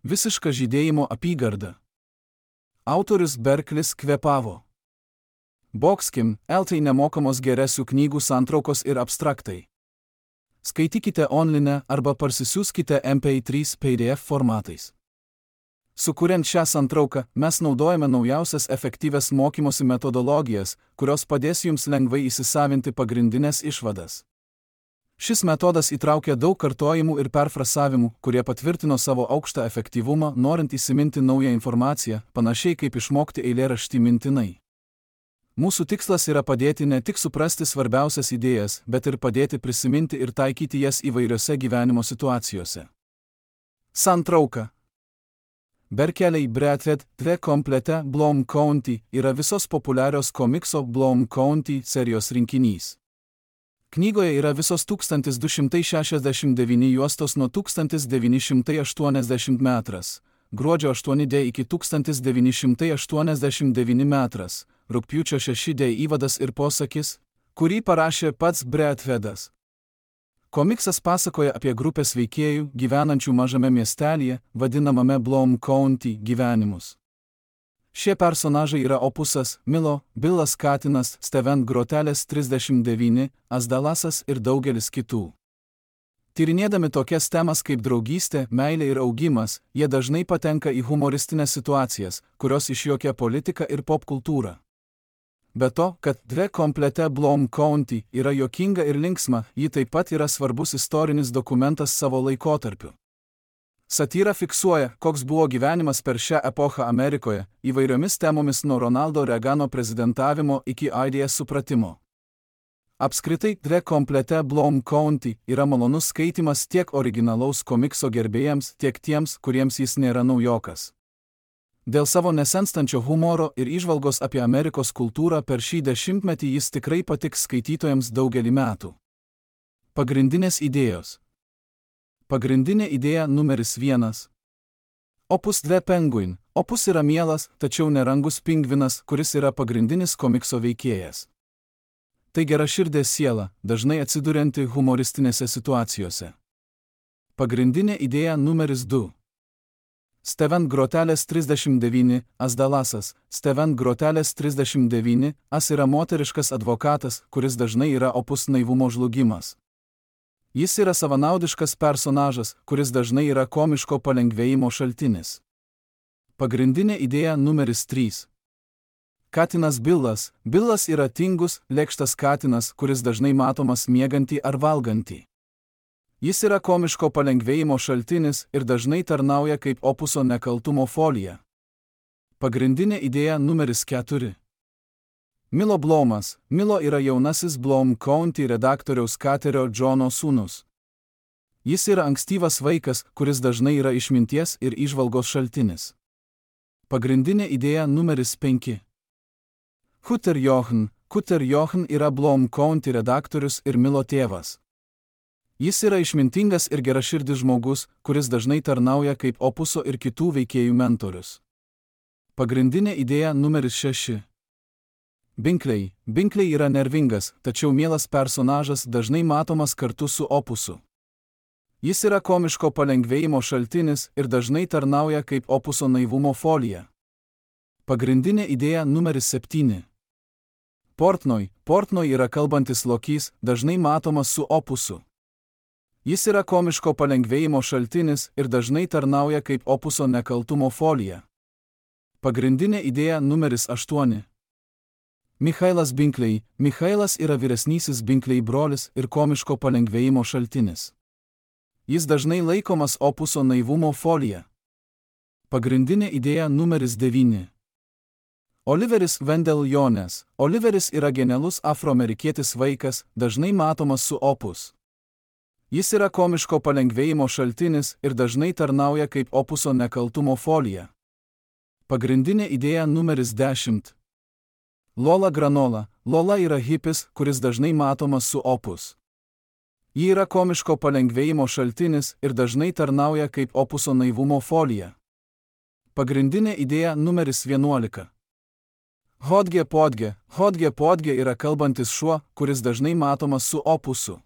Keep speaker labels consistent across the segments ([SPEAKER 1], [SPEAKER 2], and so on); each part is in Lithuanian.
[SPEAKER 1] Visiška žydėjimo apygarda. Autorius Berklis kvėpavo. Boxkim, LT nemokamos geresių knygų santraukos ir abstraktai. Skaitykite online arba parsisiųskite MP3 PDF formatais. Sukuriant šią santrauką, mes naudojame naujausias efektyvias mokymosi metodologijas, kurios padės jums lengvai įsisavinti pagrindinės išvadas. Šis metodas įtraukia daug kartojimų ir perfrasavimų, kurie patvirtino savo aukštą efektyvumą, norint įsiminti naują informaciją, panašiai kaip išmokti eilėraštį mintinai. Mūsų tikslas yra padėti ne tik suprasti svarbiausias idėjas, bet ir padėti prisiminti ir taikyti jas įvairiose gyvenimo situacijose. Santrauka. Berkeley Bradford The Complete Bloom County yra visos populiarios komikso Bloom County serijos rinkinys. Knygoje yra visos 1269 juostos nuo 1980 metras, gruodžio 8D iki 1989 metras, rugpjūčio 6D įvadas ir posakis, kurį parašė pats Bradfordas. Komiksas pasakoja apie grupės veikėjų, gyvenančių mažame miestelyje, vadinamame Bloom County, gyvenimus. Šie personažai yra Opusas, Milo, Billas Katinas, Steven Grotelės 39, Asdalasas ir daugelis kitų. Tyrinėdami tokias temas kaip draugystė, meilė ir augimas, jie dažnai patenka į humoristinės situacijas, kurios išjuokia politiką ir popkultūrą. Be to, kad The Complete Bloom County yra juokinga ir linksma, ji taip pat yra svarbus istorinis dokumentas savo laikotarpiu. Satyra fiksuoja, koks buvo gyvenimas per šią epochą Amerikoje, įvairiomis temomis nuo Ronaldo Reagano prezidentavimo iki AIDS supratimo. Apskritai, The Complete Bloom County yra malonus skaitymas tiek originalaus komikso gerbėjams, tiek tiems, kuriems jis nėra naujokas. Dėl savo nesenstančio humoro ir įžvalgos apie Amerikos kultūrą per šį dešimtmetį jis tikrai patiks skaitytojams daugelį metų. Pagrindinės idėjos. Pagrindinė idėja numeris 1. Opus The Penguin. Opus yra mielas, tačiau nerangus pingvinas, kuris yra pagrindinis komikso veikėjas. Tai geraširdė siela, dažnai atsidurianti humoristinėse situacijose. Pagrindinė idėja numeris 2. Steven Grotelės 39, Asdalasas. Steven Grotelės 39, As yra moteriškas advokatas, kuris dažnai yra Opus naivumo žlugimas. Jis yra savanaudiškas personažas, kuris dažnai yra komiško palengvėjimo šaltinis. Pagrindinė idėja numeris 3. Katinas Billas. Billas yra tingus, lėkštas katinas, kuris dažnai matomas miegantį ar valgantį. Jis yra komiško palengvėjimo šaltinis ir dažnai tarnauja kaip Opuso nekaltumo folija. Pagrindinė idėja numeris 4. Milo Blomas. Milo yra jaunasis Bloom County redaktoriaus Katerio Džono sūnus. Jis yra ankstyvas vaikas, kuris dažnai yra išminties ir įžvalgos šaltinis. Pagrindinė idėja numeris 5. Cutter Jochen. Cutter Jochen yra Bloom County redaktorius ir Milo tėvas. Jis yra išmintingas ir geraširdis žmogus, kuris dažnai tarnauja kaip Opuso ir kitų veikėjų mentorius. Pagrindinė idėja numeris 6. Binkley. Binkley yra nervingas, tačiau mielas personažas, dažnai matomas kartu su Opusu. Jis yra komiško palengvėjimo šaltinis ir dažnai tarnauja kaip Opuso naivumo folija. Pagrindinė idėja numeris 7. Portnoy. Portnoy yra kalbantis lokys, dažnai matomas su Opusu. Jis yra komiško palengvėjimo šaltinis ir dažnai tarnauja kaip Opuso nekaltumo folija. Pagrindinė idėja numeris 8. Michailas Binkley. Michailas yra vyresnysis Binkley brolis ir komiško palengvėjimo šaltinis. Jis dažnai laikomas Opuso naivumo folija. Pagrindinė idėja numeris 9. Oliveris Wendell Jones. Oliveris yra genialus afroamerikietis vaikas, dažnai matomas su Opus. Jis yra komiško palengvėjimo šaltinis ir dažnai tarnauja kaip Opuso nekaltumo folija. Pagrindinė idėja numeris 10. Lola Granola. Lola yra hipis, kuris dažnai matomas su Opus. Ji yra komiško palengvėjimo šaltinis ir dažnai tarnauja kaip Opuso naivumo folija. Pagrindinė idėja numeris 11. Hodge Podge. Hodge Podge yra kalbantis šuo, kuris dažnai matomas su Opusu.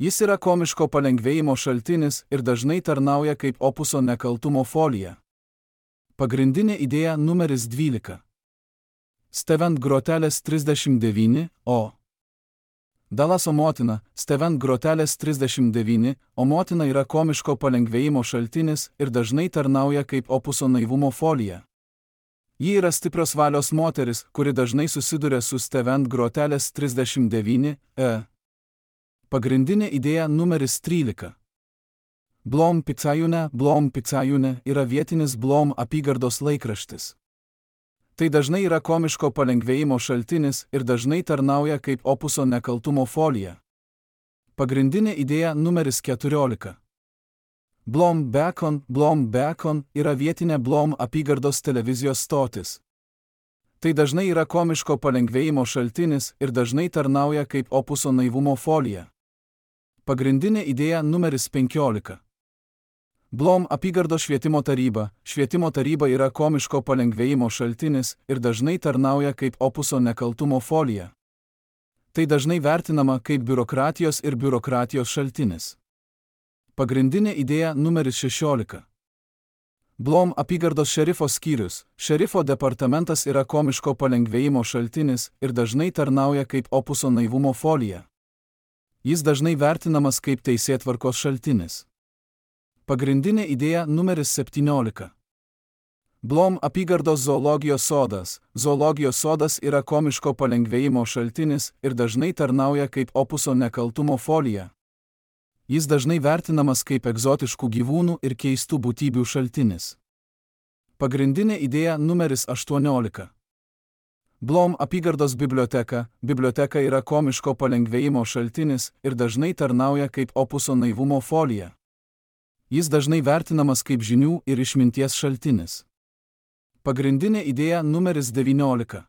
[SPEAKER 1] Jis yra komiško palengvėjimo šaltinis ir dažnai tarnauja kaip opuso nekaltumo folija. Pagrindinė idėja numeris 12. Stevent grotelės 39, o. Dalaso motina, Stevent grotelės 39, o motina yra komiško palengvėjimo šaltinis ir dažnai tarnauja kaip opuso naivumo folija. Ji yra stiprios valios moteris, kuri dažnai susiduria su Stevent grotelės 39, Pagrindinė idėja numeris 13. Blom Picajūne yra vietinis Blom apygardos laikraštis. Tai dažnai yra komiško palengvėjimo šaltinis ir dažnai tarnauja kaip opuso nekaltumo folija. Pagrindinė idėja numeris 14. Blom Beacon yra vietinė Blom apygardos televizijos stotis. Tai dažnai yra komiško palengvėjimo šaltinis ir dažnai tarnauja kaip opuso naivumo folija. Pagrindinė idėja numeris 15. Blom apygardos švietimo taryba. Švietimo taryba yra komiško palengvėjimo šaltinis ir dažnai tarnauja kaip opuso nekaltumo folija. Tai dažnai vertinama kaip biurokratijos ir biurokratijos šaltinis. Pagrindinė idėja numeris 16. Blom apygardos šerifo skyrius. Šerifo departamentas yra komiško palengvėjimo šaltinis ir dažnai tarnauja kaip opuso naivumo folija. Jis dažnai vertinamas kaip teisėtvarkos šaltinis. Pagrindinė idėja numeris 17. Blom apygardos zoologijos sodas. Zoologijos sodas yra komiško palengvėjimo šaltinis ir dažnai tarnauja kaip opuso nekaltumo folija. Jis dažnai vertinamas kaip egzotiškų gyvūnų ir keistų būtybių šaltinis. Pagrindinė idėja numeris 18. Blom apygardos biblioteka. Biblioteka yra komiško palengvėjimo šaltinis ir dažnai tarnauja kaip opuso naivumo folija. Jis dažnai vertinamas kaip žinių ir išminties šaltinis. Pagrindinė idėja numeris 19.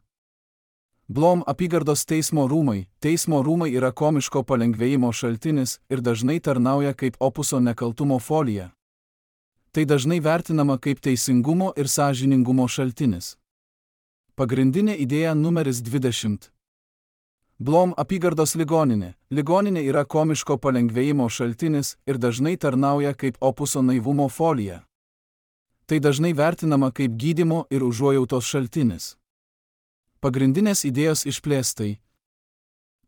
[SPEAKER 1] Blom apygardos teismo rūmai. Teismo rūmai yra komiško palengvėjimo šaltinis ir dažnai tarnauja kaip opuso nekaltumo folija. Tai dažnai vertinama kaip teisingumo ir sąžiningumo šaltinis. Pagrindinė idėja numeris 20. Blom apygardos ligoninė. Ligoninė yra komiško palengvėjimo šaltinis ir dažnai tarnauja kaip opuso naivumo folija. Tai dažnai vertinama kaip gydymo ir užuojautos šaltinis. Pagrindinės idėjos išplėstai.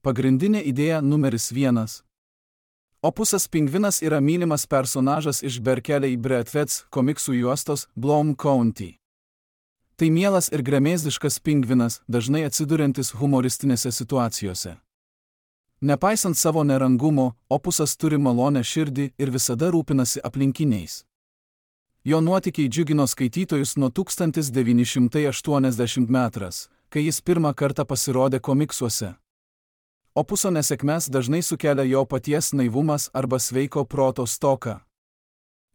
[SPEAKER 1] Pagrindinė idėja numeris 1. Opusas pingvinas yra mylimas personažas iš Berkeley Breathweds komiksų juostos Blom County. Tai mielas ir gremėzdiškas pingvinas, dažnai atsiduriantis humoristinėse situacijose. Nepaisant savo nerangumo, opusas turi malonę širdį ir visada rūpinasi aplinkiniais. Jo nuotykiai džiugino skaitytojus nuo 1980 metras, kai jis pirmą kartą pasirodė komiksuose. Opuso nesėkmes dažnai sukelia jo paties naivumas arba sveiko proto stoka.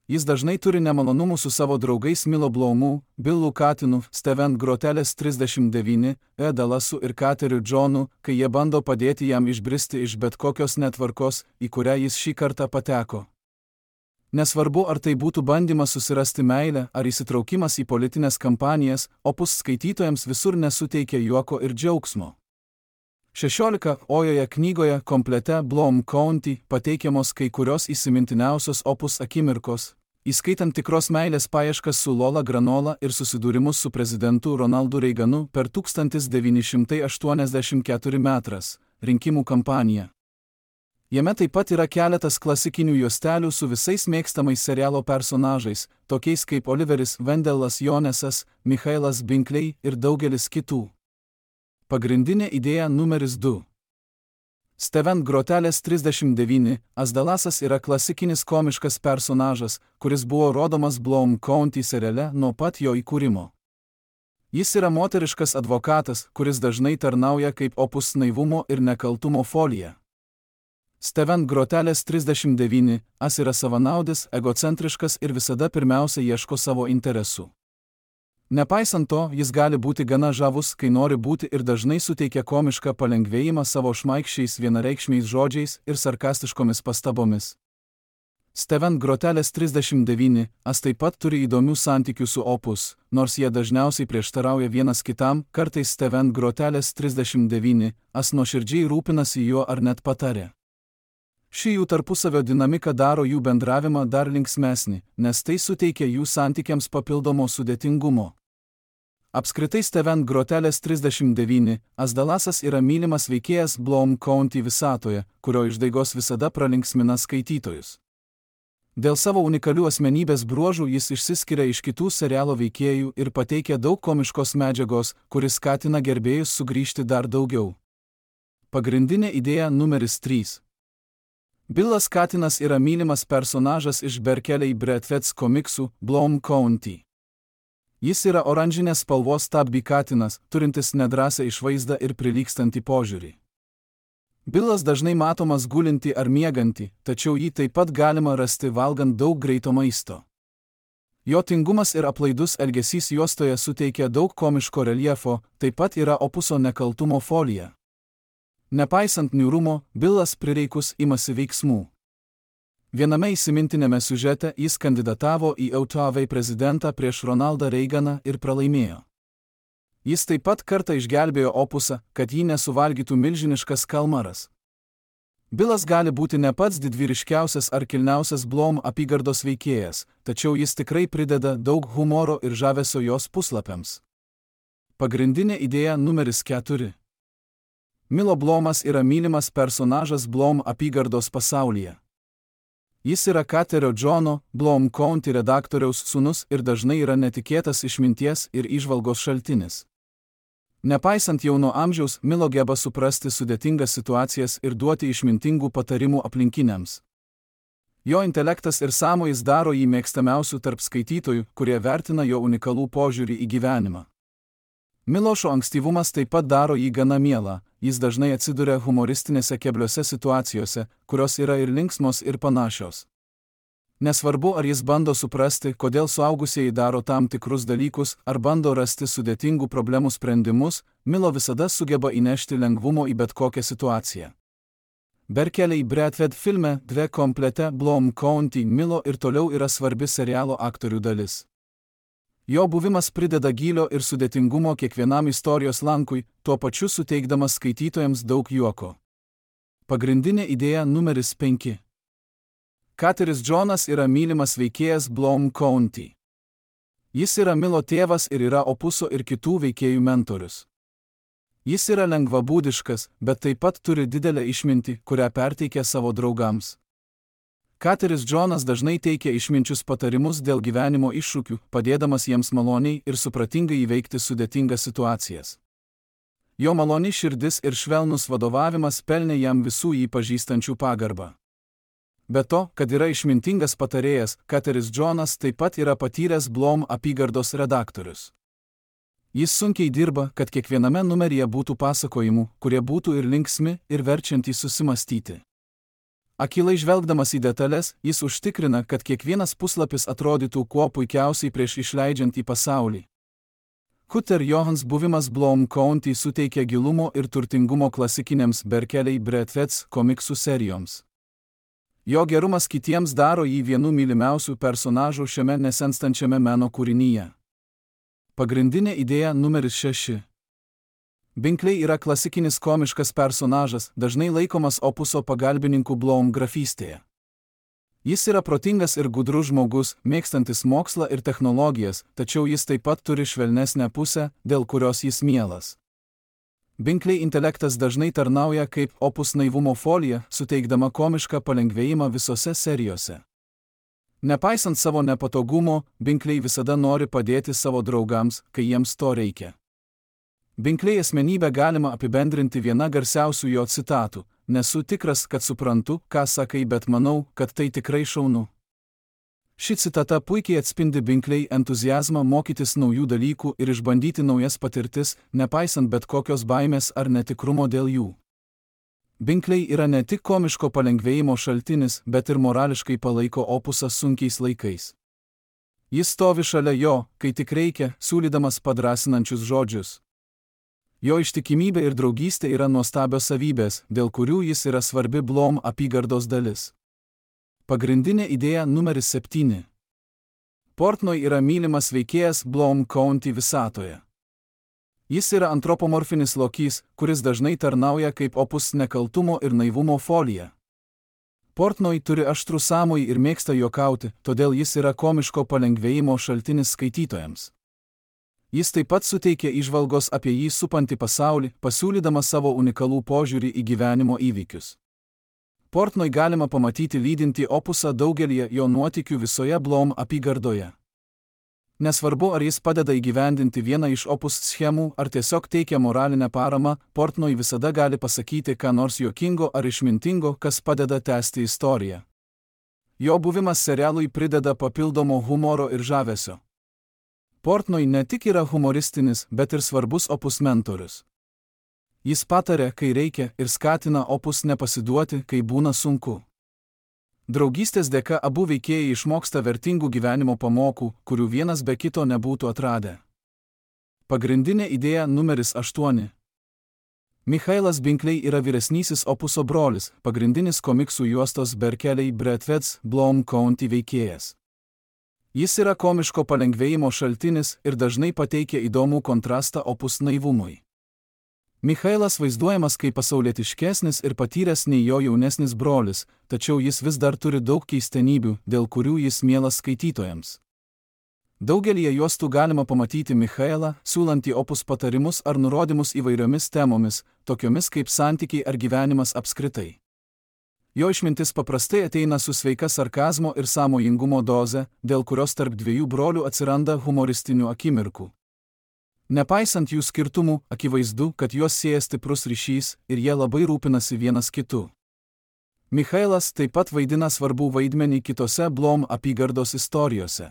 [SPEAKER 1] Jis dažnai turi nemalonumų su savo draugais Milo Blomu, Billu Katinu, Stevent grotelės 39, Dalasu ir Kateriu Johnu, kai jie bando padėti jam išbristi iš bet kokios netvarkos, į kurią jis šį kartą pateko. Nesvarbu, ar tai būtų bandymas susirasti meilę ar įsitraukimas į politinės kampanijas, opus skaitytojams visur nesuteikia juoko ir džiaugsmo. 16-ojoje knygoje komplete Blom County pateikiamos kai kurios įsimintiniausios opus akimirkos, įskaitant tikros meilės paieškas su Lola Granola ir susidūrimus su prezidentu Ronaldu Reaganu per 1984 metras rinkimų kampaniją. Jame taip pat yra keletas klasikinių juostelių su visais mėgstamais serialo personažais, tokiais kaip Oliveris Vendelas Jonesas, Michailas Binkley ir daugelis kitų. Pagrindinė idėja numeris 2. Stevent grotelės 39, Dalasas yra klasikinis komiškas personažas, kuris buvo rodomas Blom County seriale nuo pat jo įkūrimo. Jis yra moteriškas advokatas, kuris dažnai tarnauja kaip opus naivumo ir nekaltumo folija. Stevent grotelės 39, yra savanaudis, egocentriškas ir visada pirmiausia ieško savo interesų. Nepaisant to, jis gali būti gana žavus, kai nori būti ir dažnai suteikia komišką palengvėjimą savo šmaikščiais vienareikšmiais žodžiais ir sarkastiškomis pastabomis. Stevent grotelės 39, taip pat turi įdomių santykių su opus, nors jie dažniausiai prieštarauja vienas kitam, kartais Stevent grotelės 39, nuoširdžiai rūpinasi juo ar net patarė. Ši jų tarpusavio dinamika daro jų bendravimą dar linksmesnį, nes tai suteikia jų santykiams papildomo sudėtingumo. Apskritai Steven Grotelės 39, Asdalasas yra mylimas veikėjas Bloom County visatoje, kurio išdaigos visada pralinksmina skaitytojus. Dėl savo unikalių asmenybės bruožų jis išsiskiria iš kitų serialo veikėjų ir pateikia daug komiškos medžiagos, kuris skatina gerbėjus sugrįžti dar daugiau. Pagrindinė idėja numeris 3. Billas katinas yra mylimas personažas iš Berkeley Bradfeds komiksų Bloom County. Jis yra oranžinės spalvos tabby katinas, turintis nedrąsią išvaizdą ir prilygstantį požiūrį. Billas dažnai matomas gulintį ar miegantį, tačiau jį taip pat galima rasti valgant daug greito maisto. Jo tingumas ir aplaidus elgesys juostoje suteikia daug komiško reljefo, taip pat yra opuso nekaltumo folija. Nepaisant niūrumo, Billas prireikus imasi veiksmų. Viename įsimintinėme siužete jis kandidatavo į Autovei prezidentą prieš Ronaldą Reiganą ir pralaimėjo. Jis taip pat kartą išgelbėjo opusą, kad jį nesuvalgytų milžiniškas kalmaras. Billas gali būti ne pats didvyriškiausias ar kilniausias Bloom apygardos veikėjas, tačiau jis tikrai prideda daug humoro ir žavesio jos puslapiams. Pagrindinė idėja numeris 4. Milo Bloomas yra mylimas personažas Bloom apygardos pasaulyje. Jis yra Katerio Džono, Bloom County redaktoriaus sūnus ir dažnai yra netikėtas išminties ir įžvalgos šaltinis. Nepaisant jauno amžiaus, Milo geba suprasti sudėtingas situacijas ir duoti išmintingų patarimų aplinkiniams. Jo intelektas ir sąmojis daro jį mėgstamiausių tarp skaitytojų, kurie vertina jo unikalų požiūrį į gyvenimą. Milošo ankstyvumas taip pat daro jį gana mielą, jis dažnai atsiduria humoristinėse kebliose situacijose, kurios yra ir linksmos ir panašios. Nesvarbu, ar jis bando suprasti, kodėl suaugusieji daro tam tikrus dalykus, ar bando rasti sudėtingų problemų sprendimus, Milo visada sugeba įnešti lengvumo į bet kokią situaciją. Berkeley Bradfed filme Dve komplete Bloom County Milo ir toliau yra svarbi serialo aktorių dalis. Jo buvimas prideda gylio ir sudėtingumo kiekvienam istorijos lankui, tuo pačiu suteikdamas skaitytojams daug juoko. Pagrindinė idėja numeris 5. Kateris Džonas yra mylimas veikėjas Bloom County. Jis yra Milo tėvas ir yra opuso ir kitų veikėjų mentorius. Jis yra lengvabūdiškas, bet taip pat turi didelę išmintį, kurią perteikia savo draugams. Kateris Džonas dažnai teikia išminčius patarimus dėl gyvenimo iššūkių, padėdamas jiems maloniai ir supratingai įveikti sudėtingas situacijas. Jo maloni širdis ir švelnus vadovavimas pelnė jam visų jį pažįstančių pagarbą. Be to, kad yra išmintingas patarėjas, Kateris Džonas taip pat yra patyręs Bloom apygardos redaktorius. Jis sunkiai dirba, kad kiekviename numeryje būtų pasakojimų, kurie būtų ir linksmi, ir verčiantys susimastyti. Akylai žvelgdamas į detalės, jis užtikrina, kad kiekvienas puslapis atrodytų kuo puikiausiai prieš išleidžiant į pasaulį. Cutter Johans buvimas Bloom County suteikia gilumo ir turtingumo klasikiniams Berkeley Bradfeds komiksų serijoms. Jo gerumas kitiems daro jį vienu mylimiausių personažų šiame nesenstančiame meno kūrinyje. Pagrindinė idėja numeris 6. Binkley yra klasikinis komiškas personažas, dažnai laikomas opuso pagalbininku Bloom grafystėje. Jis yra protingas ir gudrus žmogus, mėgstantis mokslą ir technologijas, tačiau jis taip pat turi švelnesnę pusę, dėl kurios jis mielas. Binkley intelektas dažnai tarnauja kaip opus naivumo folija, suteikdama komišką palengvėjimą visose serijose. Nepaisant savo nepatogumo, Binkley visada nori padėti savo draugams, kai jiems to reikia. Binkley asmenybę galima apibendrinti viena garsiausių jo citatų: "Nesu tikras, kad suprantu, ką sakai, bet manau, kad tai tikrai šaunu." Ši citata puikiai atspindi Binkley entuziazmą mokytis naujų dalykų ir išbandyti naujas patirtis, nepaisant bet kokios baimės ar netikrumo dėl jų. Binkley yra ne tik komiško palengvėjimo šaltinis, bet ir morališkai palaiko opusą sunkiais laikais. Jis stovi šalia jo, kai tik reikia, siūlydamas padrasinančius žodžius. Jo ištikimybė ir draugystė yra nuostabios savybės, dėl kurių jis yra svarbi Bloom apygardos dalis. Pagrindinė idėja numeris 7. Portnoy yra mylimas veikėjas Bloom County visatoje. Jis yra antropomorfinis lokys, kuris dažnai tarnauja kaip opus nekaltumo ir naivumo folija. Portnoy turi aštrų sąmojį ir mėgsta juokauti, todėl jis yra komiško palengvėjimo šaltinis skaitytojams. Jis taip pat suteikia įžvalgos apie jį supantį pasaulį, pasiūlydamas savo unikalų požiūrį į gyvenimo įvykius. Portnoy galima pamatyti lydintį opusą daugelį jo nuotykių visoje Bloom apygardoje. Nesvarbu, ar jis padeda įgyvendinti vieną iš opus schemų, ar tiesiog teikia moralinę paramą, Portnoy visada gali pasakyti ką nors juokingo ar išmintingo, kas padeda tęsti istoriją. Jo buvimas serialui prideda papildomo humoro ir žavesio. Portnoy ne tik yra humoristinis, bet ir svarbus opus mentorius. Jis pataria, kai reikia, ir skatina opus nepasiduoti, kai būna sunku. Draugystės dėka abu veikėjai išmoksta vertingų gyvenimo pamokų, kurių vienas be kito nebūtų atradę. Pagrindinė idėja numeris 8. Michailas Binkley yra vyresnysis opuso brolis, pagrindinis komiksų juostos Berkeley Bradfeds Bloom County veikėjas. Jis yra komiško palengvėjimo šaltinis ir dažnai pateikia įdomų kontrastą opus naivumui. Michailas vaizduojamas kaip pasaulietiškesnis ir patyręs nei jo jaunesnis brolis, tačiau jis vis dar turi daug keistenybių, dėl kurių jis mielas skaitytojams. Daugelyje juostų galima pamatyti Michailą, siūlantį opus patarimus ar nurodymus įvairiomis temomis, tokiomis kaip santykiai ar gyvenimas apskritai. Jo išmintis paprastai ateina su sveika sarkazmo ir sąmojingumo doze, dėl kurios tarp dviejų brolių atsiranda humoristinių akimirkų. Nepaisant jų skirtumų, akivaizdu, kad juos sieja stiprus ryšys ir jie labai rūpinasi vienas kitu. Michailas taip pat vaidina svarbų vaidmenį kitose Bloom apygardos istorijose.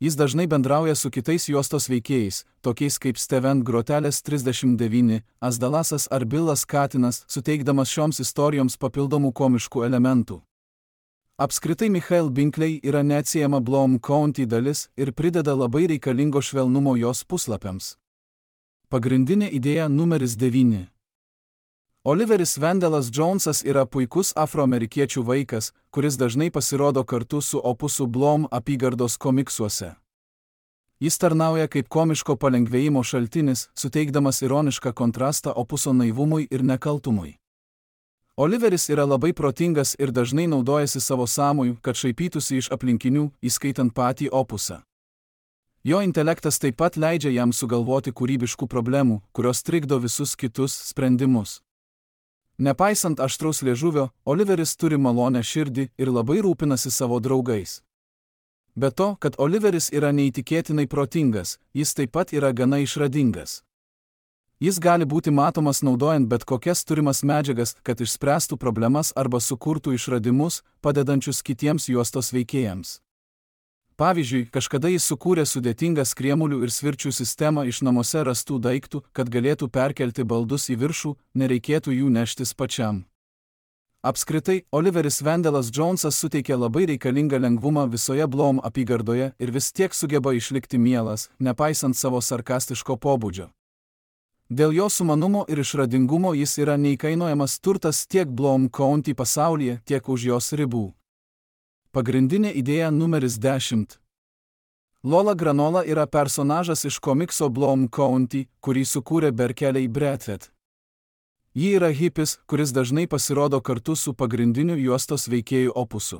[SPEAKER 1] Jis dažnai bendrauja su kitais juostos veikėjais, tokiais kaip Steven Grotelės 39, Asdalasas ar Billas Katinas, suteikdamas šioms istorijoms papildomų komiškų elementų. Apskritai Michail Binkley yra neatsiejama Bloom County dalis ir prideda labai reikalingo švelnumo jos puslapiams. Pagrindinė idėja numeris 9. Oliveris Wendelas Jonesas yra puikus afroamerikiečių vaikas, kuris dažnai pasirodo kartu su opusu Bloom apygardos komiksuose. Jis tarnauja kaip komiško palengvėjimo šaltinis, suteikdamas ironišką kontrastą opuso naivumui ir nekaltumui. Oliveris yra labai protingas ir dažnai naudojasi savo sąmoju, kad šaipytųsi iš aplinkinių, įskaitant patį opusą. Jo intelektas taip pat leidžia jam sugalvoti kūrybiškų problemų, kurios trikdo visus kitus sprendimus. Nepaisant aštraus liežuvio, Oliveris turi malonę širdį ir labai rūpinasi savo draugais. Be to, kad Oliveris yra neįtikėtinai protingas, jis taip pat yra gana išradingas. Jis gali būti matomas naudojant bet kokias turimas medžiagas, kad išspręstų problemas arba sukurtų išradimus, padedančius kitiems juostos veikėjams. Pavyzdžiui, kažkada jis sukūrė sudėtingą skriemulių ir svirčių sistemą iš namuose rastų daiktų, kad galėtų perkelti baldus į viršų, nereikėtų jų neštis pačiam. Apskritai, Oliveris Wendelas Jonesas suteikia labai reikalingą lengvumą visoje Bloom apygardoje ir vis tiek sugeba išlikti mielas, nepaisant savo sarkastiško pobūdžio. Dėl jo sumanumo ir išradingumo jis yra neįkainojamas turtas tiek Bloom County pasaulyje, tiek už jos ribų. Pagrindinė idėja numeris 10. Lola Granola yra personažas iš komikso Bloom County, kurį sukūrė Berkeley Bradfed. Ji yra hipis, kuris dažnai pasirodo kartu su pagrindiniu juostos veikėjų opusu.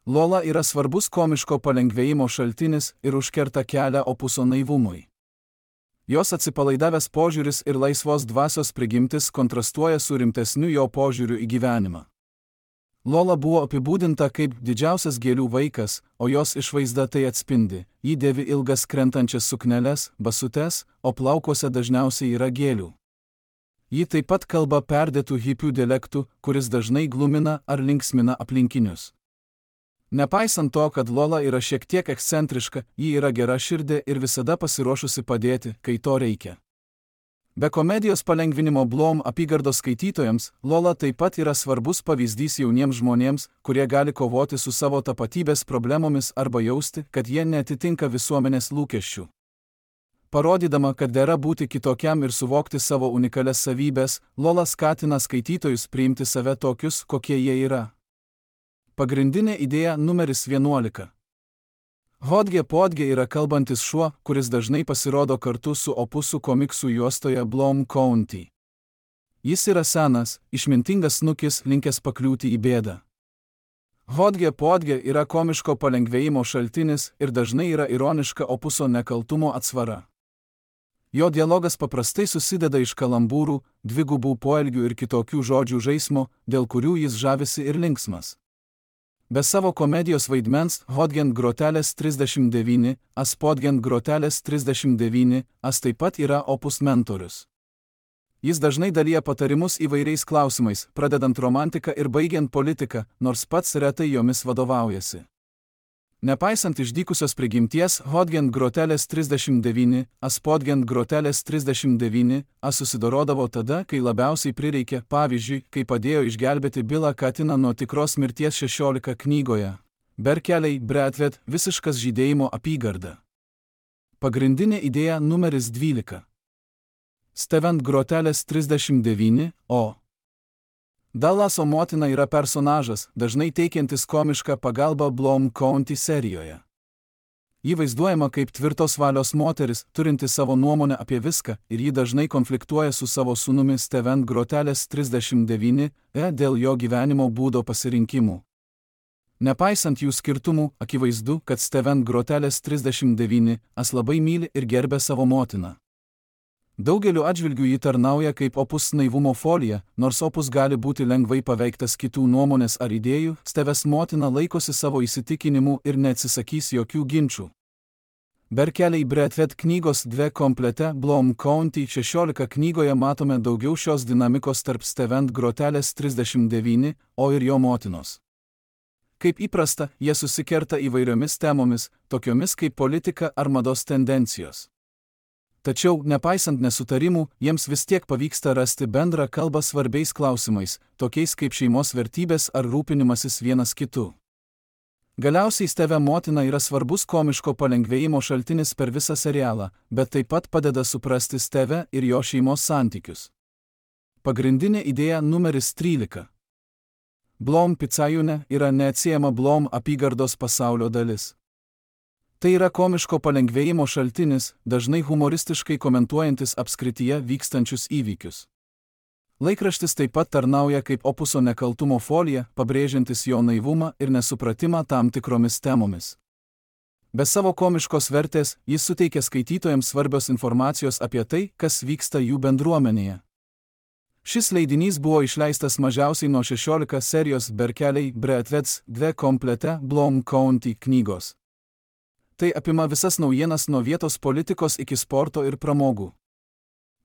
[SPEAKER 1] Lola yra svarbus komiško palengvėjimo šaltinis ir užkerta kelią opuso naivumui. Jos atsipalaidavęs požiūris ir laisvos dvasios prigimtis kontrastuoja su rimtesniu jo požiūriu į gyvenimą. Lola buvo apibūdinta kaip didžiausias gėlių vaikas, o jos išvaizda tai atspindi. Ji dėvi ilgas krentančias sukneles, basutes, o plaukuose dažniausiai yra gėlių. Ji taip pat kalba perdėtų hipių dialektų, kuris dažnai glumina ar linksmina aplinkinius. Nepaisant to, kad Lola yra šiek tiek ekscentriška, ji yra gera širdė ir visada pasiruošusi padėti, kai to reikia. Be komedijos palengvinimo Bloom apygardos skaitytojams, Lola taip pat yra svarbus pavyzdys jauniems žmonėms, kurie gali kovoti su savo tapatybės problemomis arba jausti, kad jie neatitinka visuomenės lūkesčių. Parodydama, kad dera būti kitokiam ir suvokti savo unikalias savybės, Lola skatina skaitytojus priimti save tokius, kokie jie yra. Pagrindinė idėja numeris 11. Hodge Podge yra kalbantis šuo, kuris dažnai pasirodo kartu su opusu komiksų juostoje Bloom County. Jis yra senas, išmintingas snukis, linkęs pakliūti į bėdą. Hodge podge yra komiško palengvėjimo šaltinis ir dažnai yra ironiška opuso nekaltumo atsvara. Jo dialogas paprastai susideda iš kalambūrų, dvigubų poelgių ir kitokių žodžių žaismo, dėl kurių jis žavisi ir linksmas. Be savo komedijos vaidmens Hodgent grotelės 39, as Podgent grotelės 39, as taip pat yra opus mentorius. Jis dažnai dalija patarimus įvairiais klausimais, pradedant romantiką ir baigiant politiką, nors pats retai jomis vadovaujasi. Nepaisant išdykusios prigimties, Hodgent grotelės 39, as Podgent grotelės 39, as susidorodavo tada, kai labiausiai prireikė, pavyzdžiui, kai padėjo išgelbėti Bilą Katiną nuo tikros mirties 16 knygoje. Berkeliai, Bradford, visiškas žydėjimo apygarda. Pagrindinė idėja numeris 12. Stevent grotelės 39, o. Dallaso motina yra personažas, dažnai teikiantis komišką pagalbą Blom County serijoje. Ji vaizduojama kaip tvirtos valios moteris, turinti savo nuomonę apie viską, ir ji dažnai konfliktuoja su savo sūnumi Stevent grotelės 39, dėl jo gyvenimo būdo pasirinkimų. Nepaisant jų skirtumų, akivaizdu, kad Stevent grotelės 39, as labai myli ir gerbia savo motiną. Daugeliu atžvilgių ji tarnauja kaip opus naivumo folija, nors opus gali būti lengvai paveiktas kitų nuomonės ar idėjų, Steves motina laikosi savo įsitikinimų ir neatsisakys jokių ginčių. Berkeliai Bradford knygos 2 komplete Blom County 16 knygoje matome daugiau šios dinamikos tarp Stevent grotelės 39, o ir jo motinos. Kaip įprasta, jie susikerta įvairiomis temomis, tokiomis kaip politika ar mados tendencijos. Tačiau, nepaisant nesutarimų, jiems vis tiek pavyksta rasti bendrą kalbą svarbiais klausimais, tokiais kaip šeimos vertybės ar rūpinimasis vienas kitu. Galiausiai Steve motina yra svarbus komiško palengvėjimo šaltinis per visą serialą, bet taip pat padeda suprasti Steve ir jo šeimos santykius. Pagrindinė idėja numeris 13. Blom Picayune yra neatsiejama Blom apygardos pasaulio dalis. Tai yra komiško palengvėjimo šaltinis, dažnai humoristiškai komentuojantis apskrityje vykstančius įvykius. Laikraštis taip pat tarnauja kaip opuso nekaltumo folija, pabrėžiantis jo naivumą ir nesupratimą tam tikromis temomis. Be savo komiškos vertės, jis suteikia skaitytojams svarbios informacijos apie tai, kas vyksta jų bendruomenėje. Šis leidinys buvo išleistas mažiausiai nuo 16 serijos Berkeliai Bradfords 2 komplete Blom County knygos. Tai apima visas naujienas nuo vietos politikos iki sporto ir pramogų.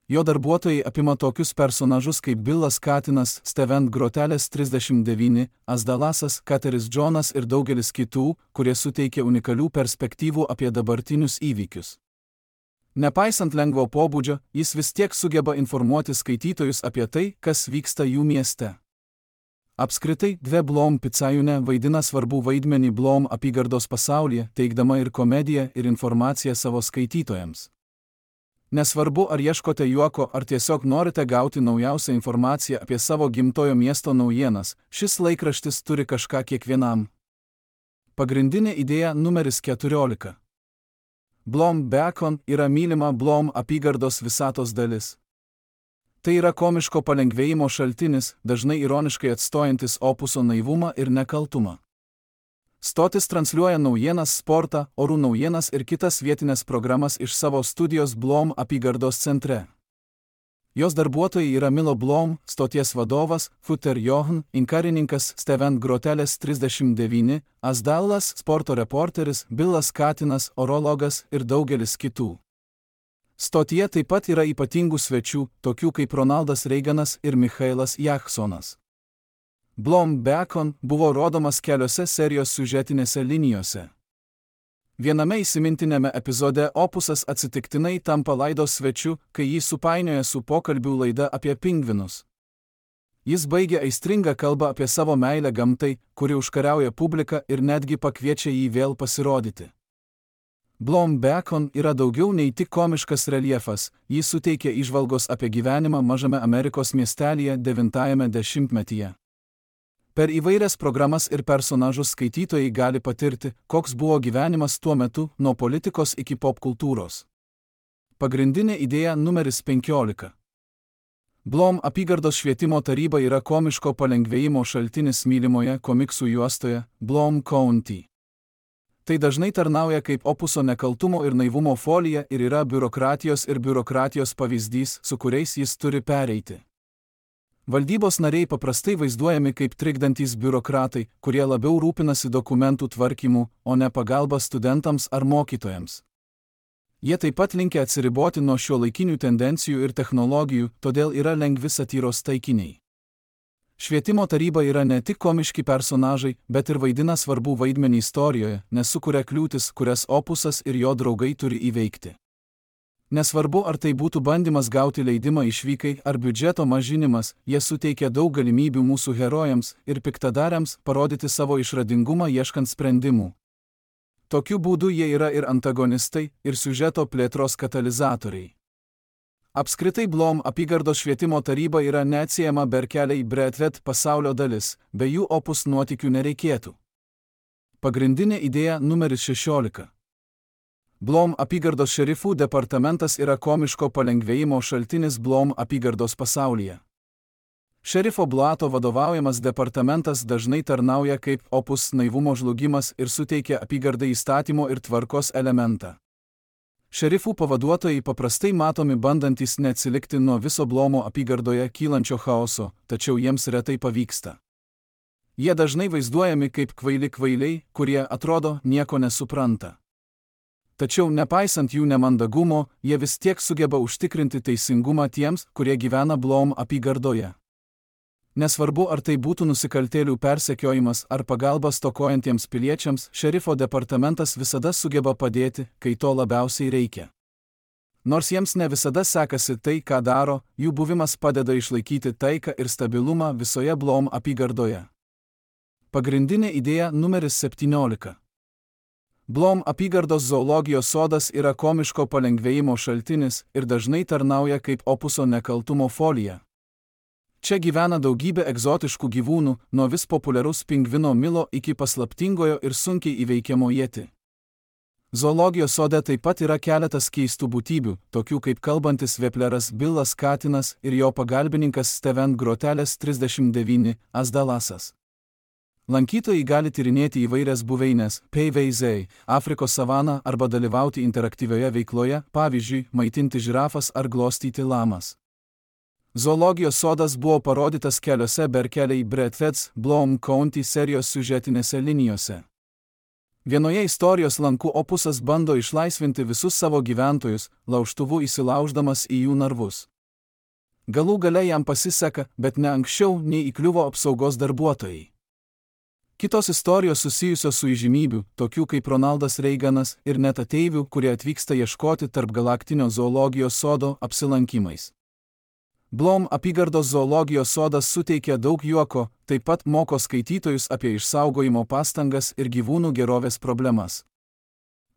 [SPEAKER 1] Jo darbuotojai apima tokius personažus kaip Bilas Katinas, Stevent grotelės 39, as Dallasas, Kateris Jonas ir daugelis kitų, kurie suteikia unikalių perspektyvų apie dabartinius įvykius. Nepaisant lengvo pobūdžio, jis vis tiek sugeba informuoti skaitytojus apie tai, kas vyksta jų mieste. Apskritai, 2 Blom Picayune vaidina svarbų vaidmenį Blom apygardos pasaulyje, teikdama ir komediją ir informaciją savo skaitytojams. Nesvarbu, ar ieškote juoko, ar tiesiog norite gauti naujausią informaciją apie savo gimtojo miesto naujienas, šis laikraštis turi kažką kiekvienam. Pagrindinė idėja numeris 14. Blom Beacon yra mylima Blom apygardos visatos dalis. Tai yra komiško palengvėjimo šaltinis, dažnai ironiškai atstojantis opuso naivumą ir nekaltumą. Stotis transliuoja naujienas, sportą, orų naujienas ir kitas vietinės programas iš savo studijos Blom apygardos centre. Jos darbuotojai yra Milo Blom, stoties vadovas, Futer Johan, inkarininkas Stevent grotelės 39, as Dallas, sporto reporteris, Bilas Katinas, orologas ir daugelis kitų. Stotyje taip pat yra ypatingų svečių, tokių kaip Ronaldas Reiganas ir Michailas Jacksonas. Blom Beacon buvo rodomas keliose serijos siužetinėse linijose. Viename įsimintinėme epizode opusas atsitiktinai tampa laidos svečiu, kai jį supainioja su pokalbių laida apie pingvinus. Jis baigia aistringą kalbą apie savo meilę gamtai, kuri užkariauja publiką ir netgi pakviečia jį vėl pasirodyti. Blom Beacon yra daugiau nei tik komiškas reljefas, jis suteikia įžvalgos apie gyvenimą mažame Amerikos miestelyje 90-ame dešimtmetyje. Per įvairias programas ir personažus skaitytojai gali patirti, koks buvo gyvenimas tuo metu, nuo politikos iki popkultūros. Pagrindinė idėja numeris 15. Blom apygardos švietimo taryba yra komiško palengvėjimo šaltinis mylimoje komiksų juostoje Blom County. Tai dažnai tarnauja kaip opuso nekaltumo ir naivumo folija ir yra biurokratijos pavyzdys, su kuriais jis turi pereiti. Valdybos nariai paprastai vaizduojami kaip trikdantys biurokratai, kurie labiau rūpinasi dokumentų tvarkymu, o ne pagalba studentams ar mokytojams. Jie taip pat linkę atsiriboti nuo šiuolaikinių tendencijų ir technologijų, todėl yra lengvi satyros taikiniai. Švietimo taryba yra ne tik komiški personažai, bet ir vaidina svarbų vaidmenį istorijoje, nes sukuria kliūtis, kurias opusas ir jo draugai turi įveikti. Nesvarbu, ar tai būtų bandymas gauti leidimą išvykai ar biudžeto mažinimas, jie suteikia daug galimybių mūsų herojams ir piktadariams parodyti savo išradingumą ieškant sprendimų. Tokiu būdu jie yra ir antagonistai, ir siužeto plėtros katalizatoriai. Apskritai Blom apygardos švietimo taryba yra neatsiejama Berkeley Bradford pasaulio dalis, be jų opus nuotykių nereikėtų. Pagrindinė idėja numeris 16. Blom apygardos šerifų departamentas yra komiško palengvėjimo šaltinis Blom apygardos pasaulyje. Šerifo Blato vadovaujamas departamentas dažnai tarnauja kaip opus naivumo žlugimas ir suteikia apygardai įstatymo ir tvarkos elementą. Šerifų pavaduotojai paprastai matomi bandantys neatsilikti nuo viso Blomo apygardoje kylančio chaoso, tačiau jiems retai pavyksta. Jie dažnai vaizduojami kaip kvailiai, kurie atrodo nieko nesupranta. Tačiau nepaisant jų nemandagumo, jie vis tiek sugeba užtikrinti teisingumą tiems, kurie gyvena Blom apygardoje. Nesvarbu, ar tai būtų nusikaltėlių persekiojimas ar pagalba stokojantiems piliečiams, šerifo departamentas visada sugeba padėti, kai to labiausiai reikia. Nors jiems ne visada sekasi tai, ką daro, jų buvimas padeda išlaikyti taiką ir stabilumą visoje Blom apygardoje. Pagrindinė idėja numeris 17. Blom apygardos zoologijos sodas yra komiško palengvėjimo šaltinis ir dažnai tarnauja kaip opuso nekaltumo folija. Čia gyvena daugybė egzotiškų gyvūnų, nuo vis populiaraus pingvino Milo iki paslaptingojo ir sunkiai įveikiamo Yeti. Zoologijos sode taip pat yra keletas keistų būtybių, tokių kaip kalbantis vepleras Billas katinas ir jo pagalbininkas Steven Grotelės 39 Asdalasas. Lankytojai gali tyrinėti įvairias buveines, PVZ, Afrikos savaną arba dalyvauti interaktyvioje veikloje, pavyzdžiui, maitinti žirafas ar glostyti lamas. Zoologijos sodas buvo parodytas keliose Berkeley Bradfords Blom County serijos siužetinėse linijose. Vienoje istorijos lankų opusas bando išlaisvinti visus savo gyventojus, laužtuvu įsilauždamas į jų narvus. Galų gale jam pasiseka, bet ne anksčiau nei įkliuvo apsaugos darbuotojai. Kitos istorijos susijusios su įžymybių, tokių kaip Ronaldas Reiganas ir net ateivių, kurie atvyksta ieškoti tarp galaktinio zoologijos sodo apsilankymais. Blom apygardos zoologijos sodas suteikia daug juoko, taip pat moko skaitytojus apie išsaugojimo pastangas ir gyvūnų gerovės problemas.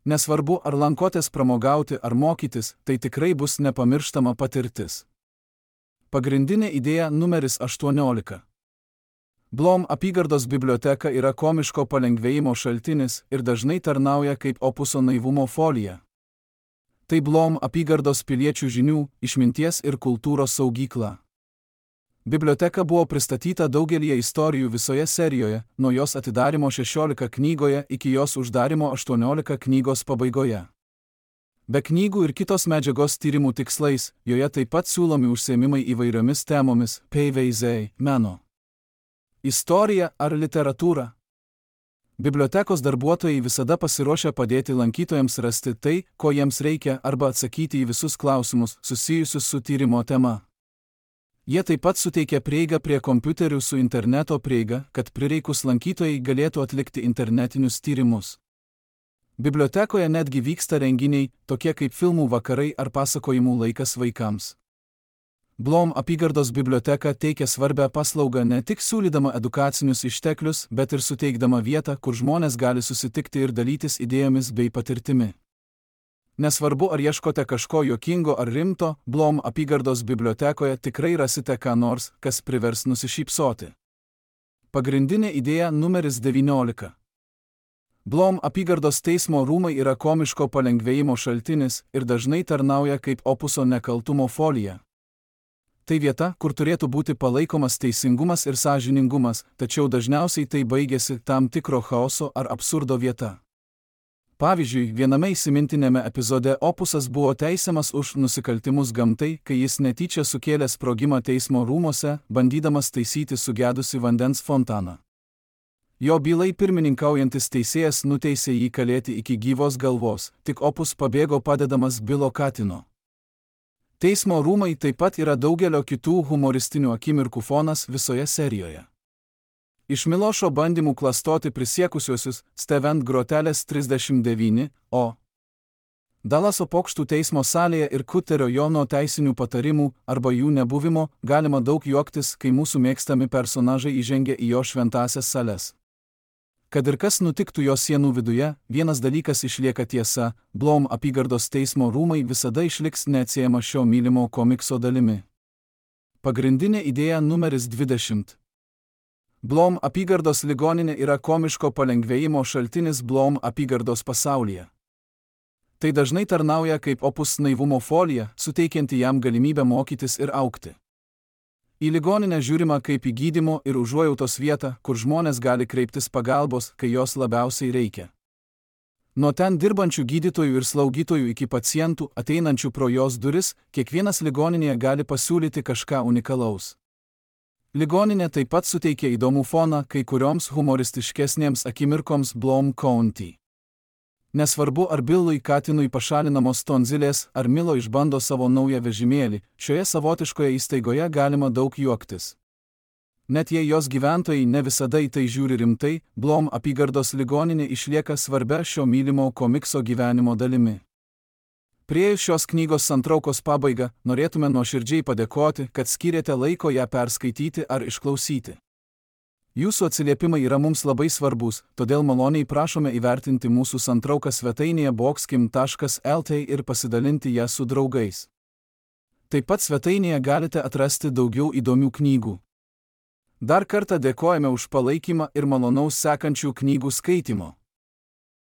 [SPEAKER 1] Nesvarbu, ar lankotės pramogauti ar mokytis, tai tikrai bus nepamirštama patirtis. Pagrindinė idėja numeris 18. Blom apygardos biblioteka yra komiško palengvėjimo šaltinis ir dažnai tarnauja kaip opuso naivumo folija. Tai Blom apygardos piliečių žinių, išminties ir kultūros saugykla. Biblioteka buvo pristatyta daugelį istorijų visoje serijoje, nuo jos atidarimo 16 knygoje iki jos uždarimo 18 knygos pabaigoje. Be knygų ir kitos medžiagos tyrimų tikslais, joje taip pat siūlomi užsiėmimai įvairiomis temomis, PVZ, meno, istorija ar literatūra. Bibliotekos darbuotojai visada pasiruošia padėti lankytojams rasti tai, ko jiems reikia, arba atsakyti į visus klausimus susijusius su tyrimo tema. Jie taip pat suteikia prieigą prie kompiuterių su interneto prieiga, kad prireikus lankytojai galėtų atlikti internetinius tyrimus. Bibliotekoje netgi vyksta renginiai, tokie kaip filmų vakarai ar pasakojimų laikas vaikams. Blom apygardos biblioteka teikia svarbią paslaugą ne tik siūlydama edukacinius išteklius, bet ir suteikdama vietą, kur žmonės gali susitikti ir dalytis idėjomis bei patirtimi. Nesvarbu, ar ieškote kažko juokingo ar rimto, Blom apygardos bibliotekoje tikrai rasite ką nors, kas privers nusišypsoti. Pagrindinė idėja numeris 19. Blom apygardos teismo rūmai yra komiško palengvėjimo šaltinis ir dažnai tarnauja kaip opuso nekaltumo folija. Tai vieta, kur turėtų būti palaikomas teisingumas ir sąžiningumas, tačiau dažniausiai tai baigėsi tam tikro chaoso ar absurdo vieta. Pavyzdžiui, viename įsimintinėme epizode Opusas buvo teisiamas už nusikaltimus gamtai, kai jis netyčia sukėlė sprogimą teismo rūmose, bandydamas taisyti sugedusi vandens fontaną. Jo bylai pirmininkaujantis teisėjas nuteisė jį kalėti iki gyvos galvos, tik Opus pabėgo padedamas Bilo Katino. Teismo rūmai taip pat yra daugelio kitų humoristinių akimirkų fonas visoje serijoje. Iš Milošo bandymų klastoti prisiekusiuosius Stevent grotelės 39, o Dalaso pokštų teismo salėje ir Kuterio Jono teisinių patarimų arba jų nebuvimo galima daug juoktis, kai mūsų mėgstami personažai įžengia į jo šventąsias sales. Kad ir kas nutiktų jo sienų viduje, vienas dalykas išlieka tiesa – Blom apygardos teismo rūmai visada išliks neatsiejama šio mylimo komikso dalimi. Pagrindinė idėja numeris 20. Blom apygardos ligoninė yra komiško palengvėjimo šaltinis Blom apygardos pasaulyje. Tai dažnai tarnauja kaip Opus naivumo folija, suteikianti jam galimybę mokytis ir augti. Į ligoninę žiūrima kaip į gydymo ir užuojautos vietą, kur žmonės gali kreiptis pagalbos, kai jos labiausiai reikia. Nuo ten dirbančių gydytojų ir slaugytojų iki pacientų, ateinančių pro jos duris, kiekvienas ligoninėje gali pasiūlyti kažką unikalaus. Ligoninė taip pat suteikia įdomų foną kai kurioms humoristiškesnėms akimirkoms Blom County. Nesvarbu, ar Billui Katinui pašalinamos tonzilės, ar Milo išbando savo naują vežimėlį, šioje savotiškoje įstaigoje galima daug juoktis. Net jei jos gyventojai ne visada į tai žiūri rimtai, Blom apygardos ligoninė išlieka svarbia šio mylimo komikso gyvenimo dalimi. Priėjus šios knygos santraukos pabaigą, norėtume nuoširdžiai padėkoti, kad skyrėte laiko ją perskaityti ar išklausyti. Jūsų atsiliepimai yra mums labai svarbus, todėl maloniai prašome įvertinti mūsų santrauką svetainėje boxkim.lt ir pasidalinti ją su draugais. Taip pat svetainėje galite atrasti daugiau įdomių knygų. Dar kartą dėkojame už palaikymą ir malonaus sekančių knygų skaitimo.